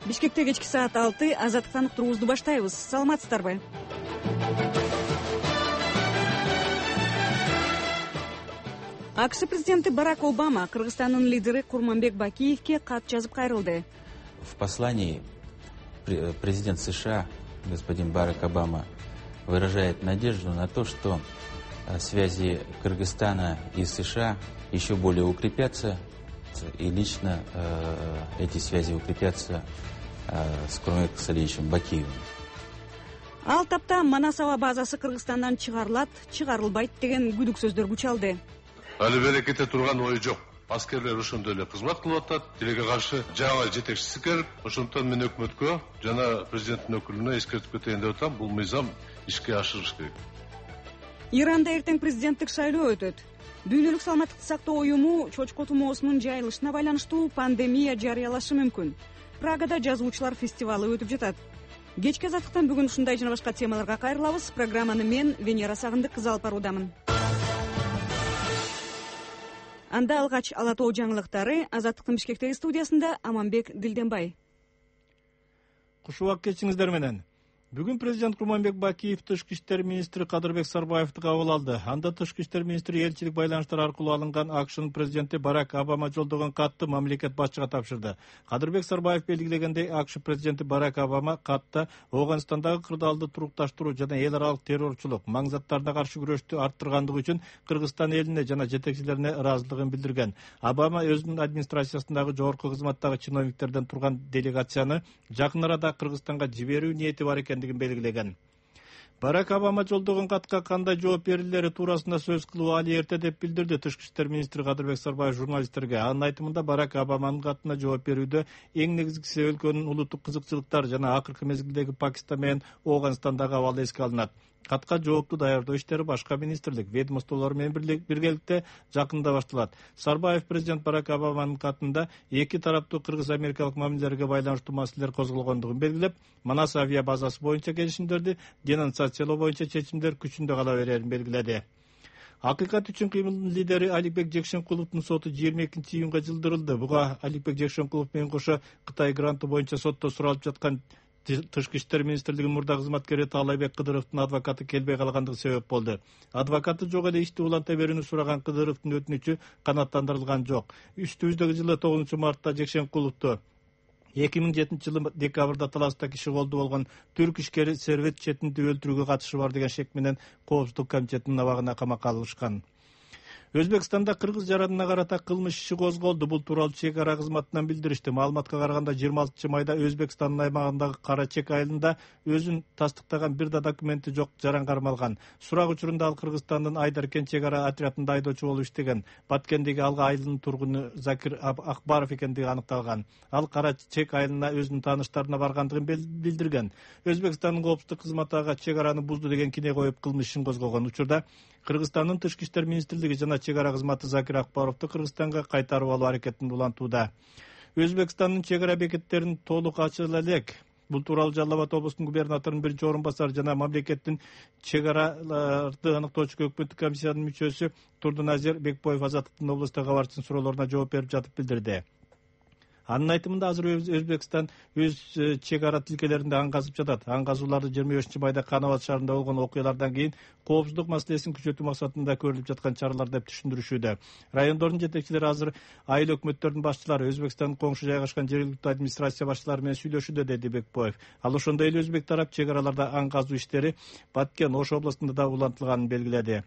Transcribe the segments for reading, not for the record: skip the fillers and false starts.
Бишкекте кечки саат 6 азаттыктан уктуруубузду баштайбыз. Саламатсыздарбы? АКШ президенти Барак Обама Кыргызстандын лидери Курманбек Бакиевке кат жазып кайрылды. В послании президент США господин Барак Обама выражает надежду на то, что связи Кыргызстана и США еще более укрепятся, и лично эти связи укрепятся с Курманбеком Салиевичем Бакиевым. Ал тапта Манас аба базасы Кыргызстандан чыгарылат, чыгарылбайт деген күдүк сөздөр күчалды. Али берекете турган ой жок. Аскерлер ошондой эле кызмат кылып атат. Тилекке каршы жаңы жетекчиси келип, ошондон мен өкмөткө жана президенттин өкүлүнө эскертип кетейин деп атам. Бул мыйзам ишке ашырыш керек. Иранда эртең президенттик шайлоо өтөт. Дүйнөлүк саламаттыкты сактоо уюму чочко тумоосунун жайылышына байланыштуу пандемия жарыялашы мүмкүн. Прагада жазуучулар фестивалы өтүп жатат. Кечки азаттыктан бүгүн ушундай жана башка темаларга кайрылабыз. Программаны мен Венера Сагындык кызы алып баруудамын. Анда алгач ала тоо жаңылыктары Азаттыктын Бишкектеги студиясында Аманбек Дилденбай. Куш убак кечиңиздер менен. Бүгүн президент Курманбек Бакиев тышкы иштер министри Кадырбек Сарбаевди кабыл алды. Анда тышкы иштер министри элчилик байланыштар аркылуу алынган АКШнын президенти Барак Обама жолдогон катты мамлекет башчыга тапшырды. Кадырбек Сарбаев белгилегендей, АКШ президенти Барак Обама катта Ооганстандагы кырдаалды турукташтыруу жана эл аралык террорчулук, маң заттарына каршы күрөштү арттыргандыгы үчүн Кыргызстан элине жана жетекчилерине ыраазычылыгын билдирген. Обама өзүнүн администрациясындагы жогорку кызматтагы чиновниктерден турган делегацияны жакын арада Кыргызстанга жиберүү ниети бар экендигин белгилеген. Барак Обама жолдогон катка кандай жооп берилери туурасында сөз кылуу али эрте деп билдирди тышкы иштер министри Кадырбек Сарбаев журналисттерге. Анын айтымында Барак Обаманын катына жооп берүүдө эң негизгиси өлкөнүн улуттук кызыкчылыктары жана акыркы мезгилдеги Пакистан менен Ооганстандагы абалы эске алынат. Катка жоопту даярдоо иштери башка министрлик, ведомстволор менен биргеликте жакында башталат. Сарбаев президент Барак Обаманын катында эки тараптуу кыргыз-америкалык мамилелерге байланыштуу маселелер козголгондугун белгилеп, Манас авиа базасы боюнча келишимдерди денонсациялоо боюнча чечимдер күчүндө кала берерин белгиледи. Акыйкат үчүн кыймылдын лидери Аликбек Жекшенкуловдун соту 22-июнга жылдырылды. Буга Аликбек Жекшенкулов менен кошо Кытай гранты боюнча сотто суралып жаткан Тышкы иштер министрлигинин мурда кызматкери Таалайбек Кыдыровдун адвокаты келбей калгандыгы себеп болду. Адвокаты жок эле ишти уланта берүүнү сураган Кыдыровдун өтүнүчү канааттандырылган жок. Үстүбүздөгү жылы 9-мартта Жекшенкуловду 2007 жылы декабрда Таласта киши колду болгон түрк ишкери Сервет Четинди өлтүрүүгө катышы бар деген шек менен Коопсуздук комитетинин абагына камакка алышкан. Өзбекстанда кыргыз жаранына карата кылмыш иши козголду. Бул тууралуу чек ара кызматынан билдиришти. Маалыматка караганда 26-майда Өзбекстандын аймагындагы Кара Чек айылында өзүн тастыктаган бир да документи жок жаран кармалган. Сурак учурунда ал Кыргызстандын Айдаркен чек ара отрядында айдоочу болуп иштеген. Баткендеги алга айылынын тургуну Закир Акбаров экендиги аныкталган. Ал Кара Чек айылына өзүнүн тааныштарына баргандыгын билдирген. Өзбекстандын коопсуздук кызматы ага чек араны бузду деген кине коюп кылмыш ишин козгогон. Учурда Кыргызстандын тышкы иштер министрлиги жана чек ара кызматы Закир Акбаровду Кыргызстанга кайтарып алуу аракетин улантууда. Өзбекстандын чек ара бекеттерин толук ачыла элек. Бул тууралуу Жалал Абад облусунун губернаторунун биринчи орун басары жана мамлекеттин чек араларды аныктоочу өкмөттүк комиссиянын мүчөсү Турдуназир Бекбоев Азаттыктын облустук кабарчысынын суроолоруна жооп берип жатып билдирди. Анын айтымында азыр Өзбекстан өз чек ара тилкелеринде аң казып жатат. Аң казууларды 25-майда Канабат шаарында болгон окуялардан кийин коопсуздук маселесин күчөтүү максатында көрүлүп жаткан чаралар деп түшүндүрүшүүдө. Райондордун жетекчилери азыр айыл өкмөттөрдүн башчылары Өзбекстандын коңшу жайгашкан жергиликтүү администрация башчылары менен сүйлөшүүдө, деди Бекбоев. Ал ошондой эле өзбек тарап чек араларда аң казуу иштери Баткен, Ош областында да улантылганын белгиледи.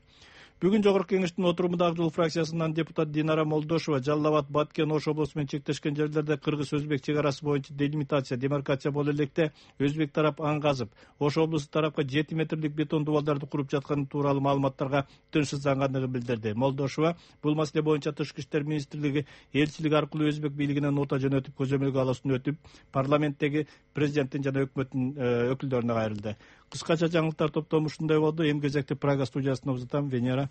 Бүгүн Жогорку кеңештин отурумунда Ак жол фракциясынан депутат Динара Молдошева Жалал Абад, Баткен, Ош облусу менен чектешкен жерлерде кыргыз-өзбек чек арасы боюнча делимитация, демаркация боло электе өзбек тарап аң казып, Ош облусу тарапка 7 метрлик бетон дубалдарды куруп жатканы тууралуу маалыматтарга тынчсыздангандыгын билдирди. Молдошева бул маселе боюнча тышкы иштер министрлиги элчилик аркылуу өзбек бийлигинен нота жөнөтүп, көзөмөлгө алуусун өтүп, парламенттеги президенттин жана өкмөттүн өкүлдөрүнө кайрылды. Кыскача жаңылыктар топтому ушундай болду. Эми кезекте Прага студиясына узатам. Венера.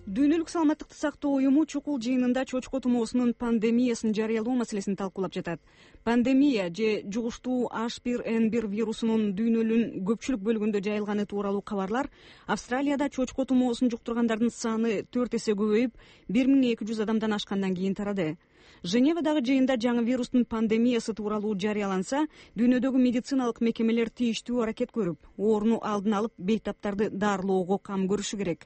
Дүйнөлүк Дүйнөлүк саламаттыкты сактоо уюму чукул жыйынында чочко тумоосунун пандемиясын жарыялоо маселесин талкуулап жатат. Пандемия же жугуштуу H1N1 вирусунун дүйнөнүн көпчүлүк бөлүгүндө жайылганы тууралуу кабарлар Австралияда чочко тумоосун жуктургандардын саны 4 эсе көбөйүп, 1200 адамдан ашкандан кийин тарады. Женевадагы жыйында жаңы вирустун пандемиясы тууралуу жарыяланса, дүйнөдөгү медициналык мекемелер тийиштүү аракет көрүп, ооруну алдын алып, бейтаптарды дарылоого кам көрүшү керек.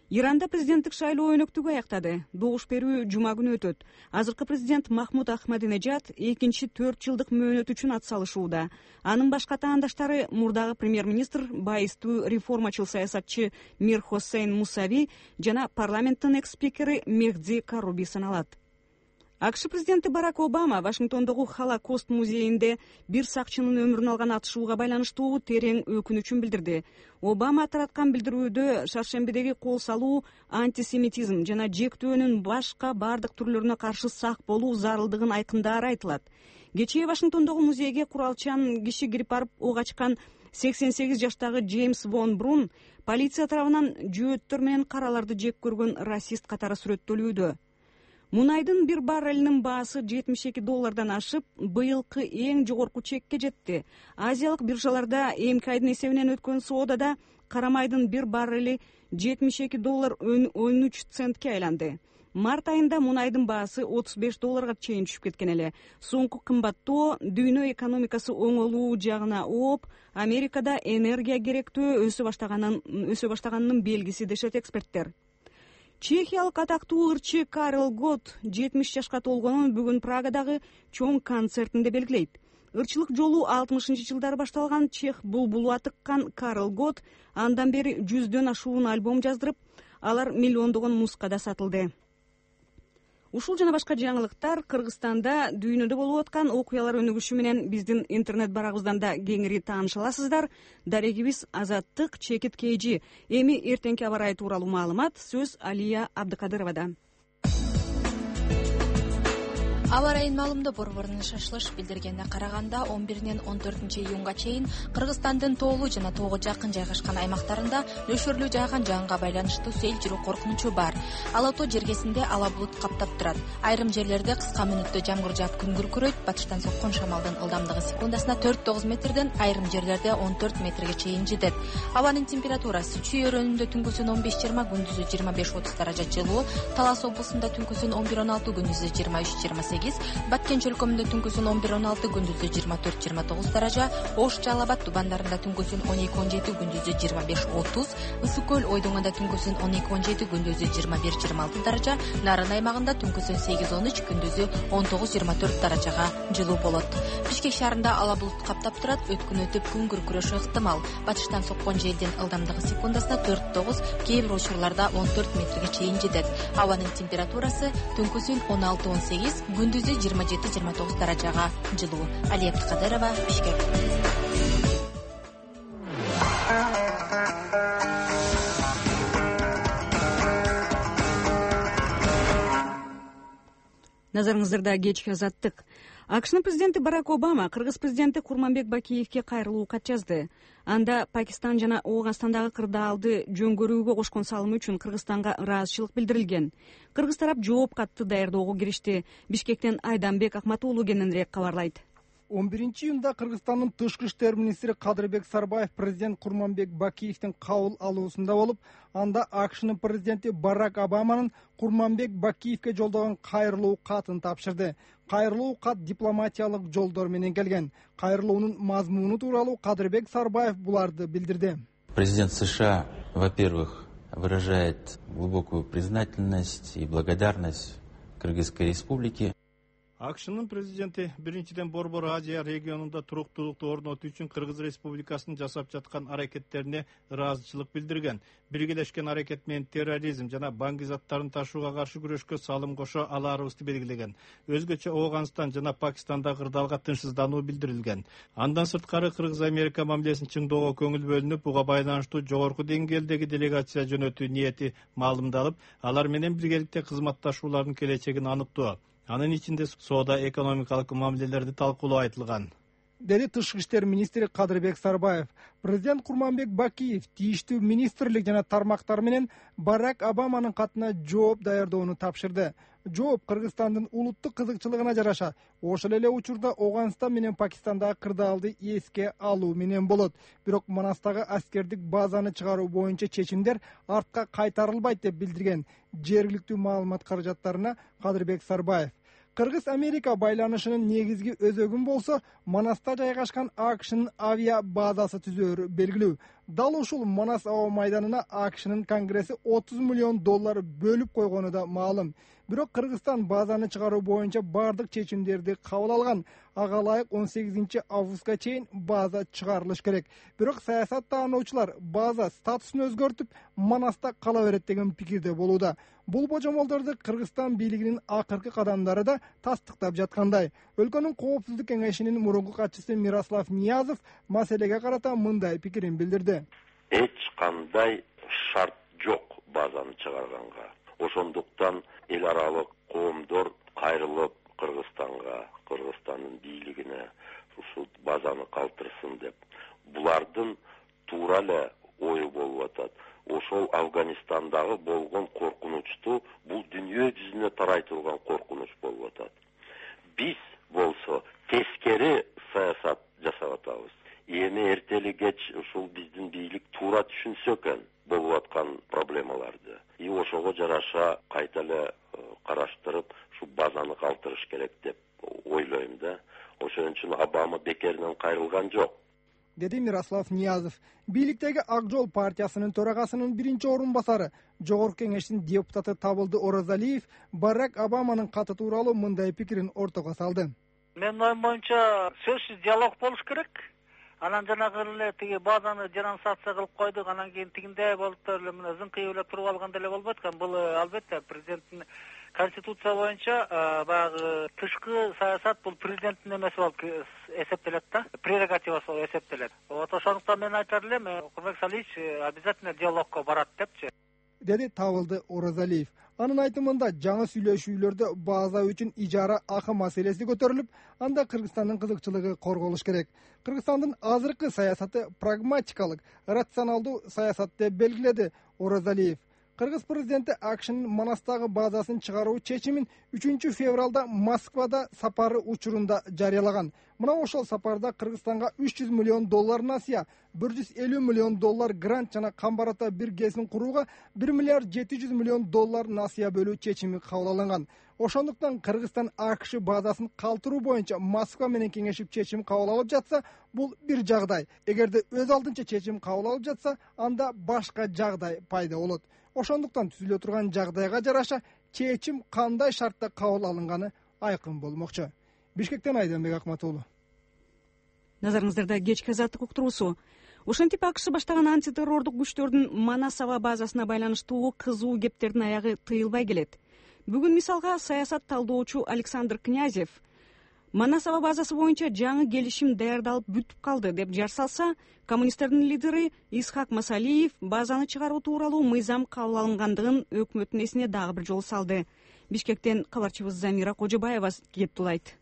Иранда президенттик шайлоо өнөктүгү аяктады. Добуш берүү жума күнү өтөт. Азыркы президент Махмуд Ахмадинежад экинчи 4 жылдык мөөнөт үчүн ат салышууда. Анын башка таандаштары мурдагы премьер-министр, байыстуу реформачыл саясатчы Мир Хосейн Мусави жана парламенттин экс-спикери Мехди Каруби саналат. АКШ президенти Барак Обама Вашингтондогу Холокост музейинде бир сакчынын өмүрүн алган атышууга байланыштуу терең өкүнүчүн билдирди. Обама тараткан билдирүүдө шаршембидеги кол салуу антисемитизм жана жектөөнүн башка бардык түрлөрүнө каршы сак болуу зарылдыгын айкындаары айтылат. Кечээ Вашингтондогу музейге куралчан киши кирип барып ок ачкан 88 жаштагы Джеймс Вон Брун полиция тарабынан жөөттөр менен караларды жек көргөн расист катары сүрөттөлүүдө. Мунайдын бир баррелинин баасы $72 ашып, быйылкы эң жогорку чекке жетти. Азиялык биржаларда эмки айдын эсебинен өткөн соодада кара майдын бир баррели $72.13 айланды. Март айында мунайдын баасы $35 чейин түшүп кеткен эле. Соңку кымбаттоо дүйнө экономикасы оңолуу жагына ооп, Америкада энергия керектөө өсө баштаганынын белгиси дешет эксперттер. Чехиялык атактуу ырчы Карл Гот 70 жашка толгонун бүгүн Прагадагы чоң концертинде белгилейт. Ырчылык жолу 60-жылдары башталган чех булбулу атыккан Карл Гот андан бери 100дөн ашуун альбом жаздырып, алар миллиондогон нускада сатылды. Ушул жана башка жаңылыктар Кыргызстанда дүйнөдө болуп аткан окуялар өнүгүшү менен биздин интернет барагыбыздан да кеңири тааныша аласыздар. Дарегибиз Азаттык, Чекит KG. Эми эртеңки аба ырайы тууралуу маалымат сөз Алия Абдыкадыровада. Аба ырайын маалымдоо борборунун шашылыш билдиргенине караганда 11-14 чейин Кыргызстандын тоолуу жана тоого жакын жайгашкан аймактарында нөшөрлүү жааган жаанга байланыштуу сел жүрүү коркунучу бар. Ала тоо жергесинде ала булут каптап турат. Айрым жерлерде кыска мүнөттө жамгыр жаап күн күркүрөйт. Батыштан соккон шамалдын ылдамдыгы секундасына 4-9 метрден айрым жерлерде 14 метрге чейин жетет. Абанын температурасы Чүй өрөөнүндө түнкүсүн 15-20, күндүзү 25-30 даража жылуу, Талас облусунда түнкүсүн 11-16, күндүзү 23-28, Баткен чөлкөмүндө түнкүсүн 11-16, күндүзү 24-29 даража, Ош Жалал-Абад тубандарында түнкүсүн 12-17, күндүзү 25-30, Ысык көл Ойдоңдо түнкүсүн 12-17, күндүзү 21-26 даража, Нарын аймагында түнкүсүн 8-13, күндүзү 19-24 даражага жылуу болот. Бишкек шаарында ала булут каптап турат, өткүн өтүп күн күркүрөшү ыктымал. Батыштан соккон желдин ылдамдыгы секундасына 4-9, кээ бир учурларда 14 метрге чейин жетет. Абанын температурасы түнкүсүн 16-18, күндүзү 27-29 даражага жылуу. Алия Абдыкадырова, Бишкек. Назарыңыздарда кечки Азаттык. АКШнын президенти Барак Обама Кыргыз президенти Курманбек Бакиевке кайрылуу кат жазды. Анда Пакистан жана Ооганстандагы кырдаалды жөнгөрүүгө кошкон салымы үчүн Кыргызстанга ыраазычылык билдирилген. Кыргыз тарап жооп катты даярдоого киришти. Бишкектен Айданбек Акматуулу кененирээк кабарлайт. 11-июнда Кыргызстандын тышкы иштер министри Кадырбек Сарбаев президент Курманбек Бакиевдин кабыл алуусунда болуп, анда АКШнын президенти Барак Обаманын Курманбек Бакиевке жолдогон кайрылуу катын тапшырды. Кайрылуу кат дипломатиялык жолдор менен келген. Кайрылуунун мазмуну тууралуу Кадырбек Сарбаев буларды билдирди. Президент США, во-первых, выражает глубокую признательность и благодарность Кыргызской республике. АКШнын президенти биринчиден Борбор Азия регионунда туруктуулукту орнотуу үчүн Кыргыз Республикасынын жасап жаткан аракеттерине ыраазычылык билдирген. Биргелешкен аракет менен терроризм жана баңги заттарын ташууга каршы күрөшкө салым кошо алаарыбызды белгилеген. Өзгөчө Ооганстан жана Пакистанда кырдаалга тынчсыздануу билдирилген. Андан сырткары Кыргыз-Америка мамилесин чыңдоого көңүл бөлүнүп, буга байланыштуу жогорку деңгээлдеги делегация жөнөтүү ниети маалымдалып, алар менен биргеликте кызматташуулардын келечегин аныктоо, анын ичинде соода экономикалык мамилелерди талкуулоо айтылган. деди тышкы иштер министри Кадырбек Сарбаев. Президент Курманбек Бакиев тийиштүү министрлик жана тармактар менен Барак Обаманын катына жооп даярдоону тапшырды. Жооп Кыргызстандын улуттук кызыкчылыгына жараша ошол эле учурда Афганистан менен Пакистандагы кырдаалды эске алуу менен болот. Бирок Манастагы аскердик базаны чыгаруу боюнча чечимдер артка кайтарылбайт деп билдирген жергиликтүү маалымат каражаттарына Кадырбек Сарбаев. Кыргыз-Америка байланышынын негизги өзөгүн болсо Манаста жайгашкан АКШнын авиа базасы түзөөрү белгилүү. Дал ушул Манас аба майданына АКШнын Конгресси $30 миллион бөлүп койгону да маалым. Бирок Кыргызстан базаны чыгаруу боюнча бардык чечимдерди кабыл алган. Ага ылайык 18 августка чейин база чыгарылыш керек. Бирок саясаттануучулар база статусун өзгөртүп, Манаста кала берет деген пикирде болууда. Бул божомолдорду Кыргызстан бийлигинин акыркы кадамдары да тастыктап жаткандай. Өлкөнүн коопсуздук кеңешинин мурунку катчысы Мирослав Ниязов маселеге карата мындай пикирин билдирди. Эч кандай шарт жок базаны чыгарганга. Ошондуктан эл аралык коомдор кайрылып Кыргызстандын бийлигине ушул базаны калтырсын деп. Булардын туура эле ою болуп атат. Ошол Афганистандагы болгон коркунучту бул дүйнө жүзүнө тарай турган коркунуч болуп атат. Биз болсо тескери саясат жасап атабыз. Эми эртели кеч ушул биздин бийлик туура түшүнсө экен болуп аткан проблемаларды. И ошого жараша кайта эле караштырып, ушу базаны калтырыш керек деп ойлойм да. Ошон үчүн Обама бекеринен кайрылган жок, деди Мирослав Ниязов. Бийликтеги Ак жол партиясынын төрагасынын биринчи орун басары, жогорку кеңештин депутаты Табылды Оразалиев Барак Обаманын каты тууралуу мындай пикирин ортого салды. Менин оюм боюнча сөзсүз диалог болуш керек. Анан жанагы эле тиги базаны денонсация кылып койдук, анан кийин тигиндей болуп эле мына зыңкыйып эле туруп алган деле болбойт экен. Бул албетте президенттин конституция боюнча баягы тышкы саясат бул президенттин эмеси болуп эсептелет да, прерогативасы болуп эсептелет. Вот ошондуктан мен айтар элем, Курманбек Салиевич обязательно диалогко барат депчи, деди Табылды Оразалиев. Анын айтымында жаңы сүйлөшүүлөрдө база үчүн ижара акы маселеси көтөрүлүп, анда Кыргызстандын кызыкчылыгы корголуш керек. Кыргызстандын азыркы саясаты прагматикалык, рационалдуу саясат деп белгиледи Оразалиев. Кыргыз президенти АКШнын Манастагы базасын чыгаруу чечимин 3 февралда Москвада сапары учурунда жарыялаган. Мына ошол сапарда Кыргызстанга $300 миллион насыя, $150 миллион грант жана камбарата бир кезин курууга $1,7 миллион насыя бөлүү чечими кабыл алынган. Ошондуктан Кыргызстан АКШ базасын калтыруу боюнча Москва менен кеңешип чечим кабыл алып жатса, бул бир жагдай. Эгерде өз алдынча чечим кабыл алып жатса, анда башка жагдай пайда болот. Ошондуктан түзүлө турган жагдайга жараша чечим кандай шартта кабыл алынганы айкын болмокчу. Бишкектен Айданбек Акматуулу. Назарыңыздарда кечки азаттык уктуруусу. Ошентип АКШ баштаган антитеррордук күчтөрдүн Манас аба базасына байланыштуу кызуу кептердин аягы тыйылбай келет. Бүгүн мисалга саясат талдоочу Александр Князев Манас аба базасы боюнча жаңы келишим даярдалып бүтүп калды деп жар салса, коммунисттердин лидери Исхак Масалиев базаны чыгаруу тууралуу мыйзам кабыл алынгандыгын өкмөттүн эсине дагы бир жолу салды. Бишкектен кабарчыбыз Замира Кожобаева кептулайт.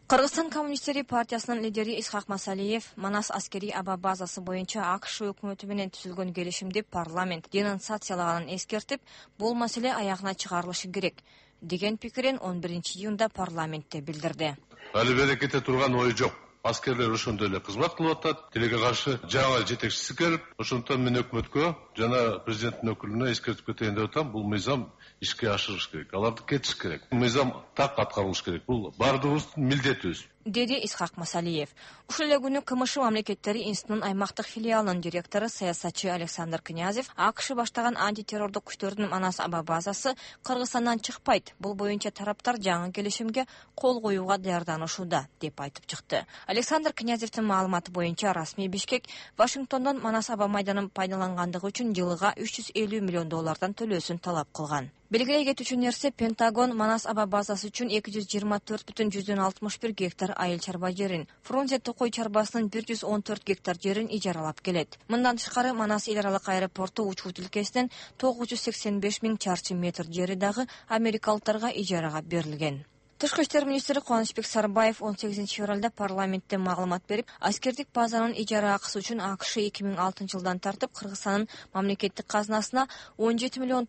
Кыргызстан коммунисттери партиясынын лидери Исхак Масалиев Манас аскери аба базасы боюнча АКШ өкмөтү менен түзүлгөн келишимди парламент денонсациялаганын эскертип, бул маселе аягына чыгарылышы керек деген пикирин 11 июнда парламентте билдирди. Али берекете турган ой жок. Аскерлер ошондой эле кызмат кылып атат. Тилекке каршы жаңы жетекчиси келип, ошондуктан мен өкмөткө жана президенттин өкүлүнө эскертип кетейин деп атам. Бул мыйзам ишке ашырыш керек. Аларды кетиш керек. Мыйзам так аткарылыш керек. Бул бардыгыбыздын милдетибиз, деди Исхак Масалиев. Ушул эле күнү КМШ мамлекеттери институтунун аймактык филиалынын директору саясатчы Александр Князев АКШ баштаган антитеррордук күчтөрдүн Манас аба базасы Кыргызстандан чыкпайт. Бул боюнча тараптар жаңы келишимге кол коюуга даярданышууда деп айтып чыкты. Александр Князевдин маалыматы боюнча расмий Бишкек Вашингтондон Манас аба майданын пайдалангандыгы үчүн жылыга $350 миллион төлөөсүн талап кылган. Белгилей кетүүчү нерсе, Пентагон Манас аба базасы үчүн 224,61 гектар айыл чарба жерин, Фрунзе Токой чарбасынын 114 гектар жерин ижаралап келет. Мындан тышкары Манас эл аралык аэропорту учуу тилкесинен 985 000 чарчы метр жери дагы америкалыктарга ижарага берилген. Тышкы иштер министри Кубанычбек Сарбаев 18-февралда парламентте маалымат берип, аскердик базанын ижара акысы үчүн АКШ 2006-жылдан тартып Кыргызстандын мамлекеттик казынасына $17,4 миллион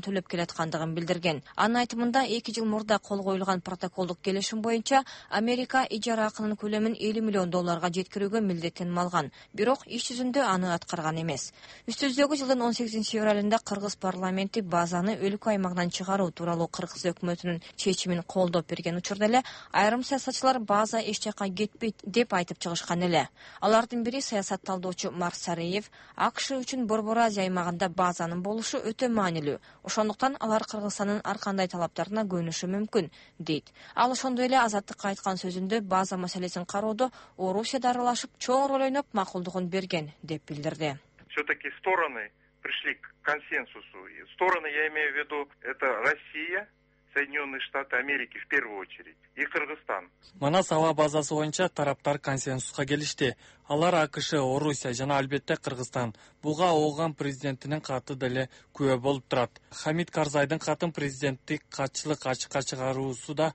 төлөп келаткандыгын билдирген. Анын айтымында 2 жыл мурда кол коюлган протоколдук келишим боюнча Америка ижара акынын көлөмүн $50 миллион жеткирүүгө милдеттенип алган. Бирок иш жүзүндө аны аткарган эмес. Үстүбүздөгү жылдын 18-февралында Кыргыз парламенти базаны өлкө аймагынан чыгаруу тууралуу Кыргыз өкмөтүнүн чечимин колдоп берген учурда эле айрым саясатчылар база эч жакка кетпейт деп айтып чыгышкан эле. Алардын бири саясат талдоочу Марсареев АКШ үчүн Борбор Азия аймагында базанын болушу өтө маанилүү. Ошондуктан алар Кыргызстандын ар кандай талаптарына көнүшү мүмкүн дейт. Ал ошондой эле Азаттыкка айткан сөзүндө база маселесин кароодо Орусияда аралашып чоң роль ойноп макулдугун берген деп билдирди. Все-таки стороны пришли к консенсусу. Стороны, я имею в виду, это Россия, Соединенные Штаты Америки в первую очередь и Кыргызстан. Манас аба базасы боюнча тараптар консенсуска келишти. Алар АКШ, Орусия жана албетте Кыргызстан. Буга ООН президентинин каты деле күбө болуп турат. Хамид Карзайдын катын президенттик катчылык ачыкка чыгаруусуда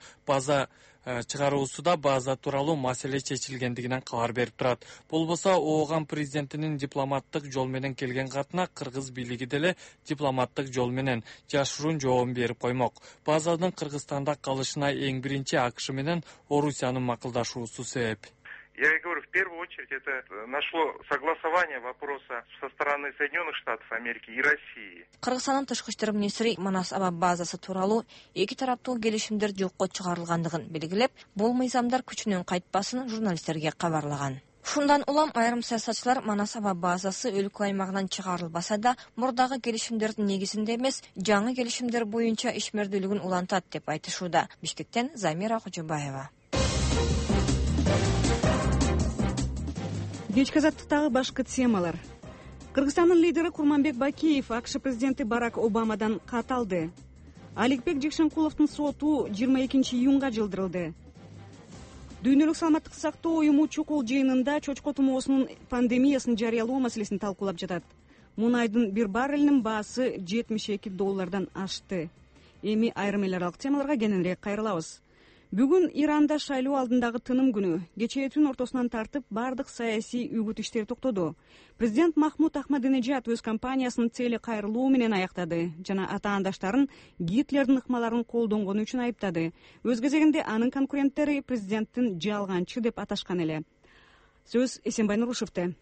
база тууралуу маселе чечилгендигинен кабар берип турат. Болбосо ООН президентинин дипломаттык жол менен келген катына кыргыз бийлиги деле дипломаттык жол менен жашыруун жообун берип коймок. Базанын Кыргызстанда калышына эң биринчи АКШ менен Орусиянын макулдашуусу себеп. Я говорю, в первую очередь это нашло согласование вопроса со стороны Соединенных Штатов Америки и России. Кыргызстандын тышкы иштер министри Манас аба базасы тууралуу эки тараптуу келишимдер жокко чыгарылгандыгын белгилеп, бул мыйзамдар күчүнөн кайтпасын журналисттерге кабарлаган. Ушундан улам айрым саясатчылар Манас аба базасы өлкө аймагынан чыгарылбаса да, мурдагы келишимдердин негизинде эмес, жаңы келишимдер боюнча ишмердүүлүгүн улантат деп айтышууда. Бишкектен Замира Кожобаева. Кечки азаттыктагы башкы темалар. Кыргызстандын лидери Курманбек Бакиев АКШ президенти Барак Обамадан кат алды. Аликбек Жекшенкуловдун соту 22 июнга жылдырылды. Дүйнөлүк саламаттыкты сактоо уюму чукул жыйынында чочко тумоосунун пандемиясын жарыялоо маселесин талкуулап жатат. Мунайдын бир баррелинин баасы $72 ашты. Эми айрым эл аралык темаларга кененирээк кайрылабыз. Бүгүн Иранда шайлоо алдындагы тыным күнү. Кечээ түн ортосунан тартып бардык саясий үгүт иштери токтоду. Президент Махмуд Ахмадинежад өз кампаниясынын цели кайрылуу менен аяктады жана атаандаштарын Гитлердин ыкмаларын колдонгону үчүн айыптады. Өз кезегинде анын конкуренттери президенттин жалганчы деп аташкан эле. Сөз Эсенбай Нурушевде.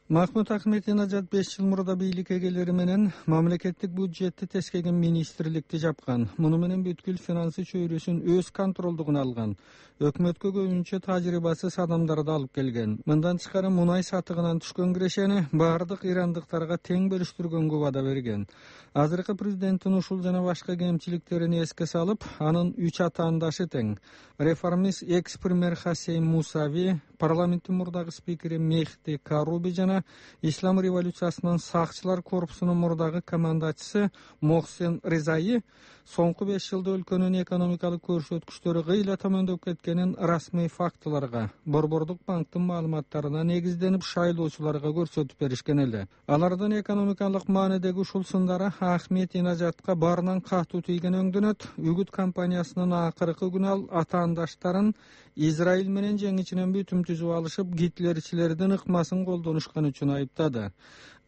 Махмуд Ахмадинежад 5 жыл мурда бийликке келери менен мамлекеттик бюджетти тескеген министрликти жапкан. Муну менен бүткүл финансы чөйрөсүн өз контролдугуна алган. Өкмөткө көбүнчө тажрыйбасыз адамдарды алып келген. Мындан тышкары мунай сатыгынан түшкөн кирешени бардык ирандыктарга тең бөлүштүргөнгө вада берген. Азыркы президенттин ушул жана башка кемчиликтерин эске салып, анын 3 атаандашы тең. Реформист экс-премьер Хасейм Мусави, парламенттин мурдагы спикери Мехди Каруби жана Ислам революциясынын сакчылар корпусунун мурдагы командачысы Мохсен Ризаи соңку 5 жылда өлкөнүн экономикалык көрсөткүчтөрү кыйла төмөндөп кеткенин расмий фактыларга, Борбордук банктын маалыматтарына негизденип шайлоочуларга көрсөтүп беришкен эле. Алардын экономикалык маанидеги ушул сындары Ахмадинежадка баарынан катуу тийген өңдөнөт. Үгүт кампаниясынын акыркы күнү ал атаандаштарын Израиль менен жеңичинен бүтүм түзүп алышып, гитлерчилердин ыкмасын колдонушкан үчүн айыптады.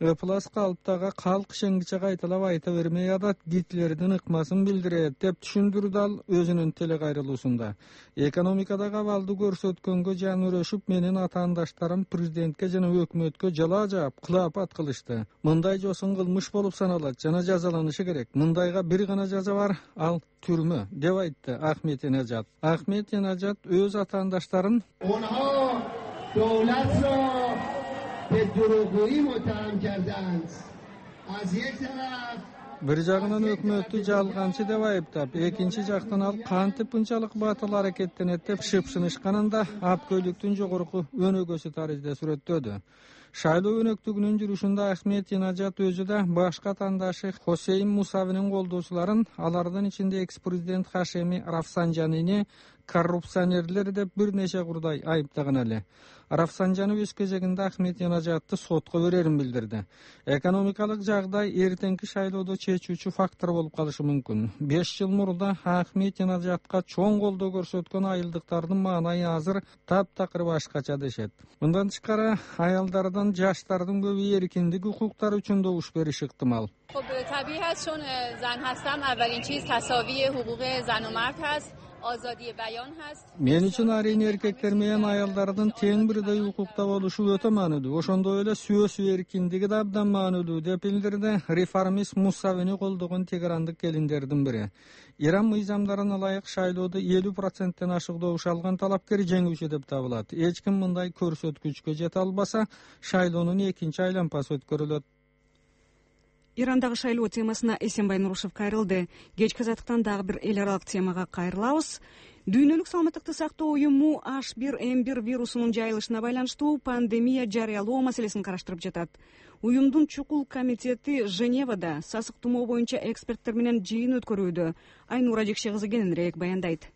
Ыплас калыптагы калк шеңгиче кайталап айта бермей атат, Гитлердин ыкмасын билдирет деп түшүндүрдү ал өзүнүн телекайрылуусунда. Экономикадагы абалды көрсөткөнгө жан өрөшүп, менин атаандаштарым президентке жана өкмөткө жала жаап, кылапат кылышты. Мындай жосын кылмыш болуп саналат жана жазаланышы керек. Мындайга бир гана жаза бар, ал түрмө, деп айтты Ахмадинежад. Ахмадинежад өз атаандаштарын бир жагынан өкмөттү жалганчы деп айыптап, экинчи жактан ал кантип мынчалык батыл аракеттенет деп шыпшынышканын да апкөйлүктүн жогорку өнөгөсү таризде сүрөттөдү. Шайлоо өнөктүгүнүн жүрүшүндө Ахмадинежад өзү да башка атаандашы Хосейм Мусавинин колдоочуларын, алардын ичинде экс-президент Хашеми Рафсанжанини коррупционерлер деп бир нече курдай айыптаган эле. Рафсанжанов өз кезегинде Ахмет Жанажатты сотко берерин билдирди. Экономикалык жагдай эртеңки шайлоодо чечүүчү фактор болуп калышы мүмкүн. 5 жыл мурда Ахмет Жанажатка чоң колдоо көрсөткөн айылдыктардын маанайы азыр таптакыр башкача дешет. Мындан тышкары аялдардан жаштардын көбү эркиндик укуктары үчүн добуш бериши ыктымал. طبیعی هست چون زن هستم اولین چیز تساوی حقوق زن و مرد هست. Мен үчүн арийне эркектер менен аялдардын тең бирдей укукта болушу өтө маанилүү. Ошондой эле сөз эркиндиги да абдан маанилүү деп билдирди реформист Мусавини колдогон тегерандык келиндердин бири. Иран мыйзамдарына ылайык шайлоодо 50%тен ашык добуш алган талапкер жеңүүчү деп табылат. Эч ким мындай көрсөткүчкө жете албаса, шайлоонун экинчи айланпасы өткөрүлөт. Ирандагы шайлоо темасына Эсенбай Нурушев кайрылды. Кечки азаттыктан дагы бир эл аралык темага кайрылабыз. Дүйнөлүк саламаттыкты сактоо уюму H1N1 вирусунун жайылышына байланыштуу пандемия жарыялоо маселесин караштырып жатат. Уюмдун чукул комитети Женевада сасык тумоо боюнча эксперттер менен жыйын өткөрүүдө. Айнура Жекше кызы кененирээк баяндайт.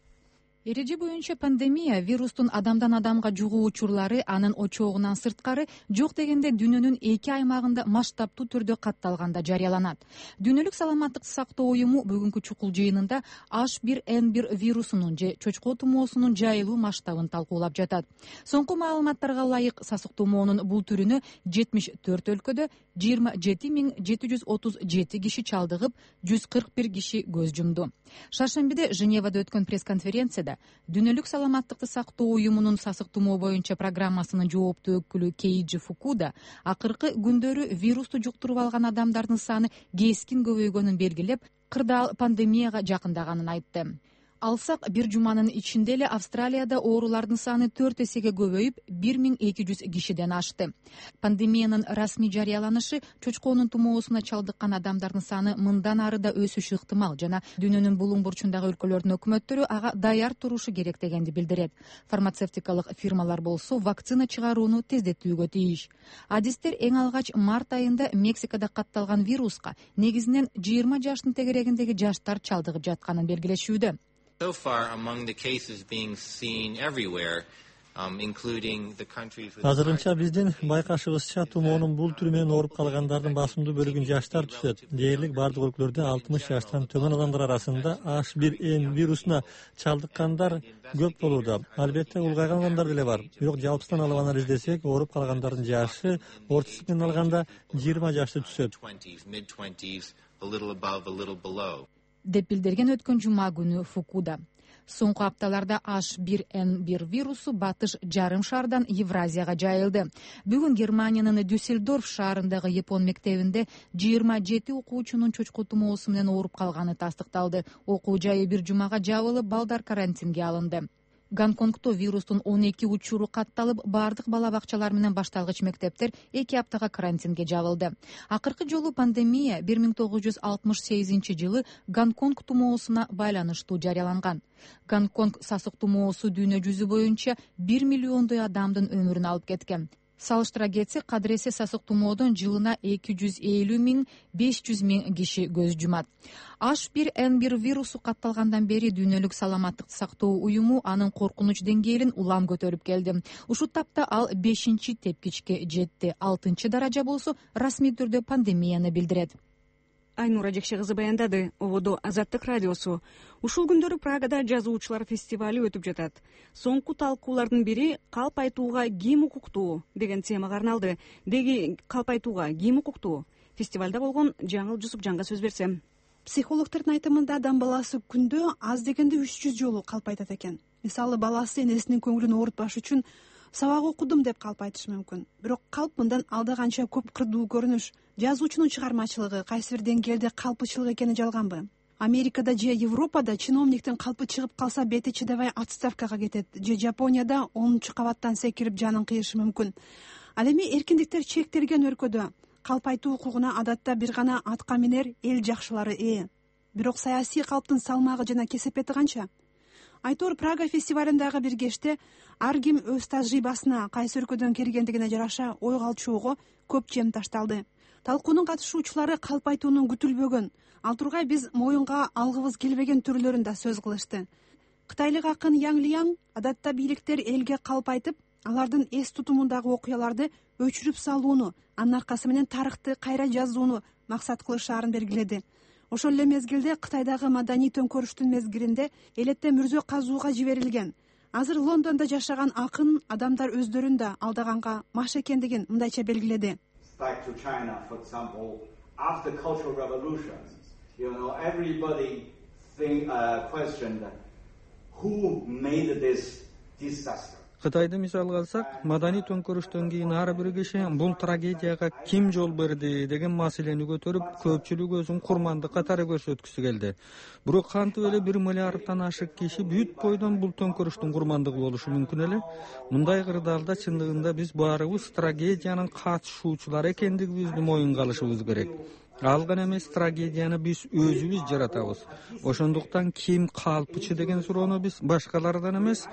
Эреже боюнча пандемия вирустун адамдан адамга жугуу учурлары анын очогунан сырткары жок дегенде дүйнөнүн 2 аймагында масштабтуу түрдө катталганда жарыяланат. Дүйнөлүк саламаттыкты сактоо уюму бүгүнкү чукул жыйынында H1N1 вирусунун же чочко тумоосунун жайылуу масштабын талкуулап жатат. Соңку маалыматтарга ылайык сасык тумоонун бул түрүнө 74 өлкөдө 27737 киши чалдыгып, 141 киши көз жумду. Шаршембиде Женевада өткөн пресс-конференцияда Дүйнөлүк саламаттыкты сактоо уюмунун сасык тумоо боюнча программасынын жооптуу өкүлү Кейджи Фукуда акыркы күндөрү вирусту жуктуруп алган адамдардын саны кескин көбөйгөнүн белгилеп, кырдаал пандемияга жакындаганын айтты. Алсак, бир жуманын ичинде эле Австралияда оорулардын саны 4 эсеге көбөйүп, 1200 кишиден ашты. Пандемиянын расмий жарыяланышы чочконун тумоосуна чалдыккан адамдардын саны мындан ары да өсүшү ыктымал жана дүйнөнүн булуң бурчундагы өлкөлөрдүн өкмөттөрү ага даяр турушу керек дегенди билдирет. Фармацевтикалык фирмалар болсо вакцина чыгарууну тездетүүгө тийиш. Адистер эң алгач март айында Мексикада катталган вируска негизинен 20 жаштын тегерегиндеги жаштар чалдыгып жатканын белгилешүүдө. So far, among the cases being seen everywhere, including the countries with... Азырынча биздин байкашыбызча тумоонун бул түрү менен ооруп калгандардын басымдуу бөлүгүн жаштар түзөт. Дээрлик бардык өлкөлөрдө 60 жаштан төмөн адамдар арасында H1N1 вирусуна чалдыккандар көп болууда. Албетте улгайган адамдар деле бар. Бирок жалпысынан алып анализ издесек, ооруп калгандардын жашы ортосу менен алганда 20 жашты түзөт. Деп билдирген өткөн жума күнү Фукуда. Соңку апталарда H1N1 вирусу батыш жарым шаардан Евразияга жайылды. Бүгүн Германиянын Дюссельдорф шаарындагы Япон мектебинде 27 окуучунун чочко тумоосу менен ооруп калганы тастыкталды. Окуу жайы бир жумага жабылып, балдар карантинге алынды. Гонконгдо вирустун 12 учуру катталып, бардык бала бакчалар менен башталгыч мектептер 2 аптага карантинге жабылды. Акыркы жолу пандемия 1968-жылы Гонконг тумоосуна байланыштуу жарыяланган. Гонконг сасык тумоосу дүйнө жүзү боюнча 1 миллиондой адамдын өмүрүн алып кеткен. Салыштыра кетсек, кадыресе сасык тумоодон жылына 250,000–500,000 киши көз жумат. H1N1 вирусу катталгандан бери дүйнөлүк саламаттыкты сактоо уюму анын коркунуч деңгээлин улам көтөрүп келди. Ушул тапта ал 5-тепкичке жетти. 6-даража болсо расмий түрдө пандемияны билдирет. Айнура Жекше кызы баяндады. Ободо Азаттык радиосу. Ушул күндөрү Прагада жазуучулар фестивали өтүп жатат. Соңку талкуулардын бири калп айтууга ким укуктуу деген темага арналды. Деги калп айтууга ким укуктуу? Фестивалда болгон Жаңыл Жусупжанга сөз берсем. Психологдордун айтымында адам баласы күндө аз дегенде 300 жолу калп айтат экен. Мисалы, баласы энесинин көңүлүн оорутпаш үчүн сабак окудум деп калп айтышы мүмкүн. Бирок калп мындан алда канча көп кырдуу көрүнүш. Жазуучунун чыгармачылыгы кайсы бир деңгээлде калпычылык экени жалганбы? Америкада же Европада чиновниктин калпы чыгып калса бети чыдабай отставкага кетет, же Жапонияда 10-кабаттан секирип жанын кыйышы мүмкүн. Ал эми эркиндиктер чектелген өлкөдө калп айтуу укугуна адатта бир гана атка минер эл жакшылары ээ. Бирок саясий калптын салмагы жана кесепети канча? Айтор Прага фестивалындагы бир кечте ар ким өз тажрыйбасына, кайсы өлкөдөн келгендигине жараша ой калчоого көп чем ташталды. Талкуунун катышуучулары калп айтуунун күтүлбөгөн, ал тургай биз моюнга алгыбыз келбеген түрлөрүн да сөз кылышты. Кытайлык акын Яң Лияң адатта бийликтер элге калп айтып, алардын эс тутумундагы окуяларды өчүрүп салууну, анын аркасы менен тарыхты кайра жазууну максат кылышаарын белгиледи. Ошол эле мезгилде Кытайдагы маданий төңкөрүштүн мезгилинде элетте мүрзө казууга жиберилген. Азыр Лондондо жашаган акын адамдар өздөрүн да алдаганга маш экендигин мындайча белгиледи. Кытайды мисалга алсак, маданий төңкөрүштөн кийин ар бир киши бул трагедияга ким жол берди деген маселени көтөрүп, көпчүлүк өзүн курмандык катары көрсөткүсү келди. Бирок кантип эле 1 миллиарддан ашык киши бүт бойдон бул төңкөрүштүн курмандыгы болушу мүмкүн эле? Мындай кырдаалда чындыгында биз баарыбыз трагедиянын катышуучулары экендигибизди моюнга алышыбыз керек. Ал гана эмес, трагедияны биз өзүбүз жаратабыз. Ошондуктан ким калпчы деген суроону биз башкалардан эмес,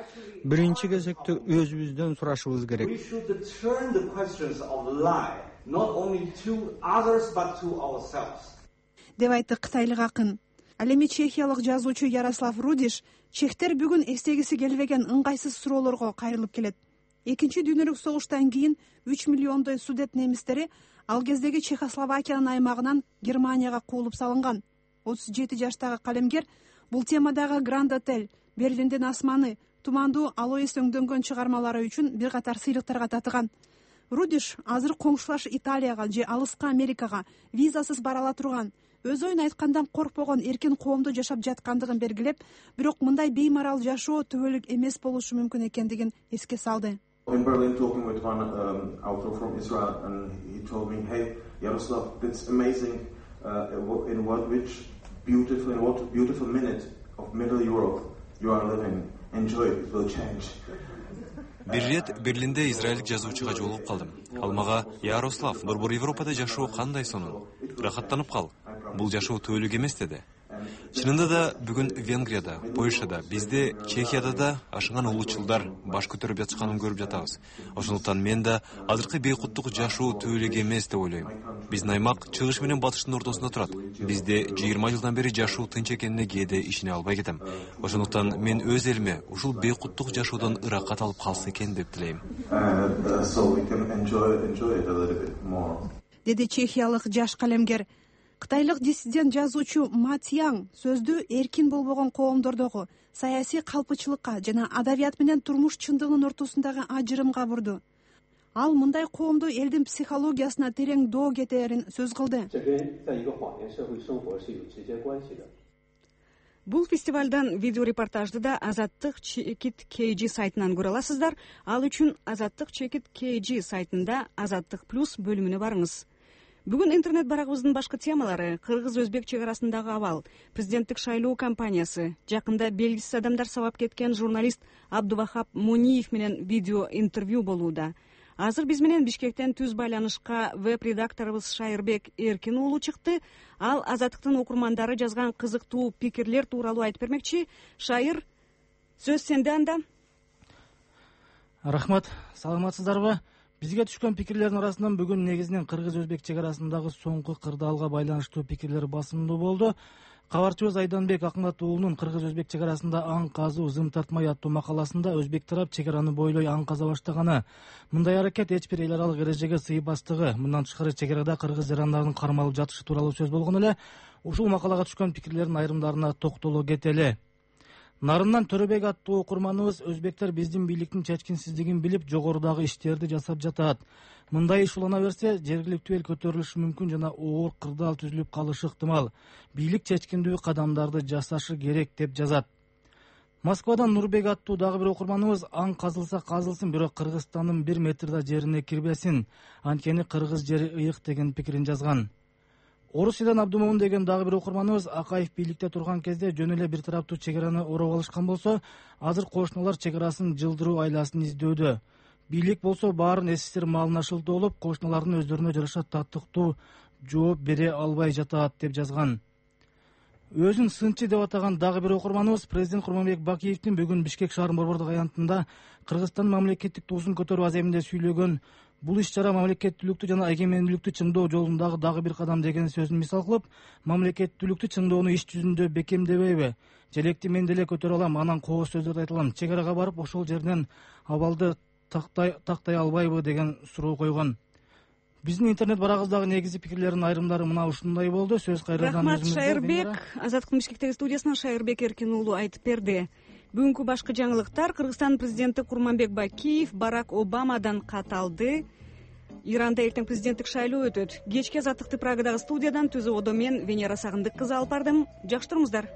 биринчи кезекте өзүбүздөн сурашыбыз керек. Деп айтты кытайлык акын. Ал эми чехиялык жазуучу Ярослав Рудиш чехтер бүгүн эстегиси келбеген ыңгайсыз суроолорго кайрылып келет. Экинчи дүйнөлүк согуштан кийин 3 миллиондой судет немистери ал кездеги Чехословакиянын аймагынан Германияга куулуп салынган. 37 жаштагы калемгер бул темадагы Гранд Отель, Берлиндин асманы, тумандуу Алоис өңдөнгөн чыгармалары үчүн бир катар сыйлыктарга татыган. Рудиш азыр коңшулаш Италияга же алыска Америкага визасыз бара ала турган, өз оюн айткандан коркпогон эркин коомдо жашап жаткандыгын белгилеп, бирок мындай беймарал жашоо түбөлүк эмес болушу мүмкүн экендигин эске салды. In Berlin, talking with one author from Israel, and he told me, "Hey, Yaroslav, it's amazing in what beautiful minute of Middle Europe you are living. Enjoy it; it will change." Бир ирет Берлинде израилдик жазуучуга жолугуп калдым. Ал мага: "Ярослав, борбор Европада жашоо кандай сонун? Рахаттанып кал. Бул жашоо түбөлүк эмес" деди. Чынында да бүгүн Венгрияда, Польшада, бизде, Чехияда да ашыган улуучулдар баш көтөрүп жатышканын көрүп жатабыз. Ошондуктан мен да азыркы бейкуттук жашоо түбөлүк эмес деп ойлойм. Биздин аймак чыгыш менен батыштын ортосунда турат. Бизде 20 жылдан бери жашоо тынч экенине кээде ишене албай кетем. Ошондуктан мен өз элиме ушул бейкуттук жашоодон ыракат алып калса экен деп тилейм. Деди чехиялык жаш калемгер. Кытайлык диссидент жазуучу Ма Цяң сөздү эркин болбогон коомдордогу саясий калпычылыкка жана адабият менен турмуш чындыгынын ортосундагы ажырымга бурду. Ал мындай коомду элдин психологиясына терең доо кетерин сөз кылды. Бул фестивалдан видеорепортажды да Азаттык Чекит KG сайтынан көрө аласыздар. Ал үчүн Азаттык Чекит KG сайтында Азаттык плюс бөлүмүнө барыңыз. Бүгүн интернет барагыбыздын башкы темалары: кыргыз-өзбек чек арасындагы абал, президенттик шайлоо кампаниясы, жакында белгисиз адамдар сабап кеткен журналист Абдувахап Муниев менен видео интервью болууда. Азыр биз менен Бишкектен түз байланышка веб-редакторубуз Шайырбек Эркин уулу чыкты. Ал Азаттыктын окурмандары жазган кызыктуу пикирлер тууралуу айтып бермекчи. Шайыр, сөз сенде анда. Рахмат, саламатсыздарбы? Бизге түшкөн пикирлердин арасынан бүгүн негизинен кыргыз-өзбек чек арасындагы соңку кырдаалга байланыштуу пикирлер басымдуу болду. Кабарчыбыз Айданбек Акмат уулунун кыргыз-өзбек чек арасында аң казуу зым тартмай аттуу макаласында өзбек тарап чек араны бойлой аң каза баштаганы, мындай аракет эч бир эл аралык эрежеге сыйбастыгы, мындан тышкары чек арада кыргыз жарандарынын кармалып жатышы тууралуу сөз болгон эле. Ушул макалага түшкөн пикирлердин айрымдарына токтоло кетели. Нарындан Төрөбек аттуу окурманыбыз өзбектер биздин бийликтин чечкинсиздигин билип, жогорудагы иштерди жасап жатат. Мындай иш улана берсе, жергиликтүү эл көтөрүлүшү мүмкүн жана оор кырдаал түзүлүп калышы ыктымал. Бийлик чечкиндүү кадамдарды жасашы керек деп жазат. Москвадан Нурбек аттуу дагы бир окурманыбыз аң казылса казылсын, бирок Кыргызстандын 1 метр да жерине кирбесин, анткени кыргыз жери ыйык деген пикирин жазган. Орусиядан Абдумомун деген дагы бир окурманыбыз Акаев бийликте турган кезде жөн эле бир тараптуу чек араны ороп алышкан болсо, азыр кошуналар чек арасын жылдыруу айласын издөөдө. Бийлик болсо баарын СССР малына шылтоолоп, кошуналардын өздөрүнө жараша татыктуу жооп бере албай жатат деп жазган. Өзүн сынчы деп атаган дагы бир окурманыбыз президент Курманбек Бакиевдин бүгүн Бишкек шаарынын борбордук аянтында Кыргызстан мамлекеттик туусун көтөрүү аземинде сүйлөгөн бул иш чара мамлекеттүүлүктү жана эгемендүүлүктү чыңдоо жолундагы дагы бир кадам деген сөзүн мисал кылып, мамлекеттүүлүктү чыңдоону иш жүзүндө бекемдебейби, желекти мен деле көтөрө алам, анан кооз сөздөрдү айта алам, чек арага барып ошол жерден абалды тактай албайбы деген суроо койгон. Биздин интернет барагыбыздагы негизги пикирлердин айрымдары мына ушундай болду. Сөз кайрадан рахмат Шайырбек. Азаттыктын Бишкектеги студиясынан Шайырбек Эркин уулу айтып берди. Бүгүнкү башкы жаңылыктар: Кыргызстан президенти Курманбек Бакиев Барак Обамадан кат алды. Иранда эртең президенттик шайлоо өтөт. Кечки Азаттыкты Прагадагы студиядан Түзү Одо мен Венера Сагындык кызы алып бардым. Жакшы туруңуздар.